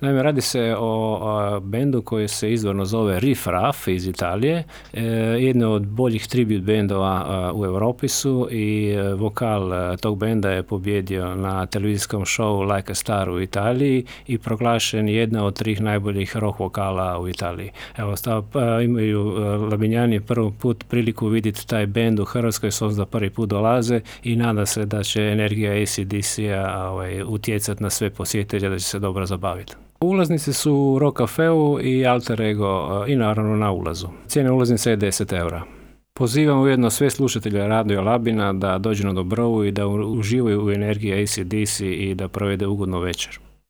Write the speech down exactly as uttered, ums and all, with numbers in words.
Naime, radi se o, o bendu koji se izvorno zove Riff Raff iz Italije, e, jedno od boljih tribute bendova a, u Europi su i a, vokal a, tog benda je pobjedio na televizijskom showu Like a Star u Italiji i proglašen jedna od trih najboljih rock vokala u Italiji. Evo, stav, a, imaju a, Labinjani prvi put priliku vidjeti taj bend u Hrvatskoj, s obzirom da prvi put dolaze i nada se da će energija A C D C-a ovaj, utjecati na sve posjetitelje, da će se dobro zabaviti. Ulaznice su u Rock Cafeu i Alter Ego i naravno na ulazu. Cijena ulaznice je deset eura. Pozivam ujedno sve slušatelje Radio Labina da dođu na Dobrovu i da uživaju u energiji A C D C i da provede ugodnu večer.